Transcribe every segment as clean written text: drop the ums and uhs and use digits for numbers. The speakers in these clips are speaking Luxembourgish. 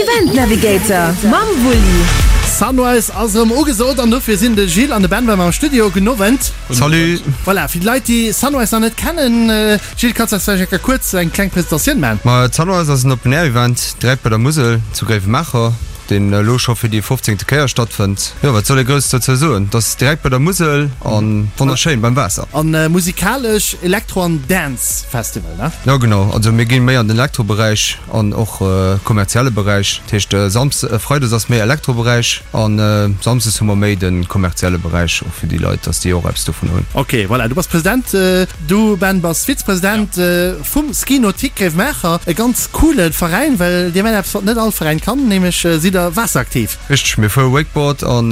Event Navigator mam Wulli. Sunrise ass erëm ugesot an dofir sinn de Gilles an de Ben bei mer am Studio. Gudden Owend. Salut. Voilà, fir déi Leit déi Sunrise nach net kennen, Gilles, kanns du eis vläicht eng Kéier kuerz eng kleng Presentatioun maachen? Ma Sunrise ass en Open Air Event direkt bei der Musel zu Gréiwemaacher, deen elo scho fir déi fofzéngte Kéier stattfënnt. Jo, wat soll ee grouss dozou soen? Et ass direkt bei der Musel a wonnerschéin beim Waasser. An musikalesch Elektro an Dance Festival, ne? Jo genau, also mir gi méi an den Elektroberäich an och kommerzielle Beräich. Dat heescht Samsdes, Freides ass méi Elektroberäich an Samsdes hu mer méi de kommerzielle Beräich och fir déi Leit, dass déi och eppes dovun hunn. Ok, voilà, du bass President, du Ben bass Vizepresident vum Ski Nautique Gréiwemaacher, e ganz coole Veräin, well dir maacht eppes wat net all Veräin kann, nämlech sidd der waasseraktiv. Richteg, mir fuere Wakeboard an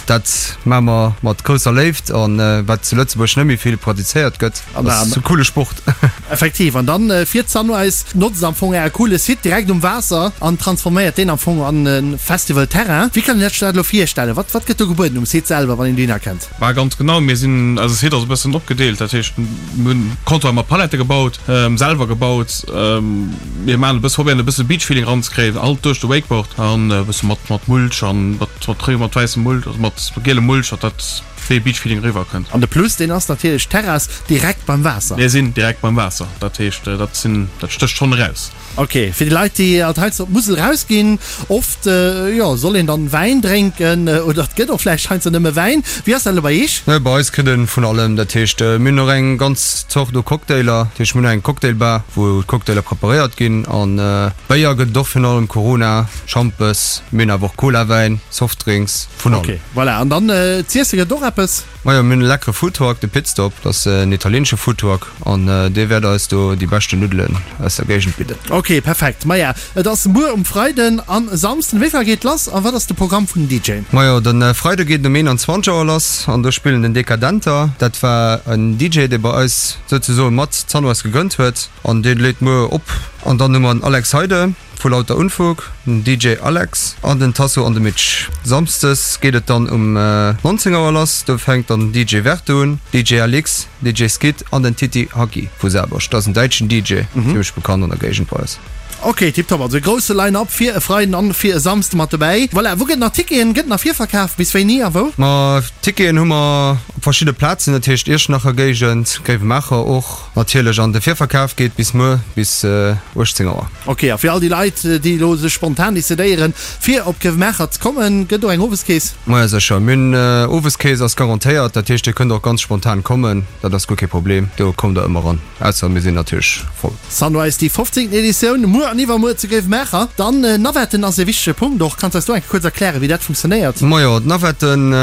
dat maache mer mat grousser Léift an wat zu Lëtzebuerg net méi vill praktizéiert gëtt. Ass e coole Sport. Effektiv, an dann fiert Sunrise, notzt am Fong äre coole Site direkt um Waasser an transforméiert deen am Fong an e Festival Terrain. Wéi kann een sech dat elo virstellen? Wat wat gëtt do gebueden um Site selwer, wann een dohinner kennt? Bah ganz genau, mir sinn, eise Site ass e bëssen opgedeelt, dat heescht mir hunn Comptoir mat Palette gebaut, selwer gebaut, mir maachen e bësse, probéieren e bësse Beach Feeling eranzekréien, alt duerch de Wakeboard an e bësse mat mat Mulch an mat mat mat wäissem Mulch, also mat gielem Mulch, datt dat. Wéi Beach Feeling eriwwer kënnt. An de Plus, deen ass natierlech d'Terrass direkt beim Waasser. Mir sinn direkt beim Waasser, dat heescht, dat sinn, dat stécht schonn eraus. Ok, fir déi Leit, déi alt heiansdo op d'Musel erausginn, oft, jo, soll een dann Wäin drénken oder et gëtt och vläicht heiansdo nëmme Wäin. Wéi ass dat elo bei iech? Bei eis kritt e vun allem, dat heescht, mir hunn och eng ganz Zort u Cocktailer, dat heescht, mir hunn eng Cocktailbar, wou d'Cocktailer preparéiert ginn an Béier gëtt et och virun allem, Corona, Schampes, mir hunn awer och Cola-Wäin, Softdrinks. Vun allem. Ok, voilà. An dann z'iesse gëtt och eppes? Majo, mir hunn e leckere Foodtruck, de Pitstop. Dat ass en italieenesche Foodtruck an dee wäert eis do déi beschten Nuddelen aus der Géigend bidden. Ok, perfekt. Maja, et ass muer um Freiden an Samsden. Wéi vill Auer geet lass a wat ass de Programm vun den DJen? Majo, de Freide geet et um 21 Auer lass an do spillen den Decadenter. Dat war en DJ, dee bei eis souzesoe mat d'Sunrise gegrënnt huet an dee leet muer op. An dann hu mer den Alex Heide. Vu Lauter Unfug, den DJ Alex an den Tasso an de Mitch. Samsdes geet et dann um 19 Auer lass, do fänkt dann den DJ Verte un, DJ Alix, DJ Skid an den Titi Hacki vu Saarburg. Dat ass en däitschen DJ, zimmlech bekannt an der Géigend bei eis. Ok, tiptop, also e grousse Line-Up fir e Freiden an fir e Samsde mat dobäi. Voilà, wou gëtt nach Ticketen? Gëtt nach virverkaf? Bis wéini a wou? Ma Ticketen hu mer op verschidde Plazen, dat heescht Iechternacher Géigend, Gréiwemaacher och natierlech an de Virverkaf geet bis muer bis 18 Auer. Ok, a fir all déi Leit, déi elo sech spontan decidéieren, fir op Grevenmacher ze kommen, gëtt do eng Oweskeess? Majo sécher, mir hunn Oweskeess ass garantéiert, dat heescht dir kënnt och ganz spontan kommen, dat ass guer kee Problem, do kommt der ëmmer ran, ausser mir sinn natierlech voll. Sunrise, déi 15. Editioun, muer an iwwermuer zu Grevenmacher. Dann Navetten ass e wichtege Punkt och. Kanns eis do eng Kéier kuerz erklären, wéi dat funktionéiert? Majo, d'Navetten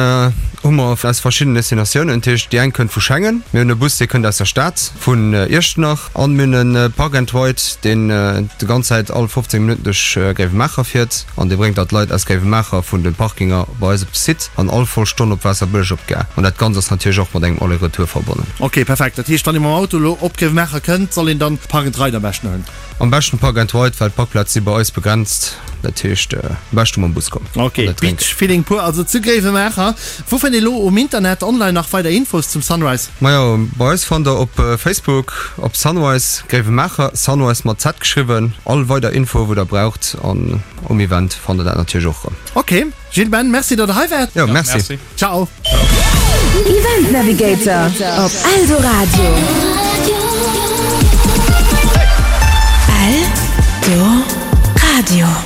hu mer aus verschiddenen Destinatiounen, dat heescht déi eng kënnt vu Schengen, mir hunn e Bus dee kënnt aus der Stad, vun Iechternach. An mir hunn e Park and Ride, deen de ganz Zäit all 15 Minutten duerch Gréiwemaacher fiert an dee bréngt da d'Leit aus Gréiwemaacher vun de Parkinger bei eis op de Site an all voll Stonn op Waasserbëlleg op d'Gare. An dat Ganzt ass natierlech och mat engem Aller-Retour verbonnen. Ok, perfekt. Dat heescht, wann ee mam Auto elo op Gréiwemaacher kënnt, soll een dann Park and Ride am beschten huelen? Am beschten Park and Ride, well d'Parkplaze si bei eis begrenzt. Dat heescht, am beschte mam Bus kommen. Ok, Beach Feeling pur also zu Gréiwemaacher. Wou fënnt ee lo um Internet online nach weider Infos zum Sunrise? Majo, bei eis fannt der op Facebook op Sunrise Gréiwemaacher, Sunrise mat Z geschriwwen, all weider Infoe wou der braucht an um Event fannt der dat natierlech och rëm. Ok, Gilles, Ben, merci datt der hei waart. Jo, merci. Ciao. Event Navigator op Eldoradio. Eldoradio.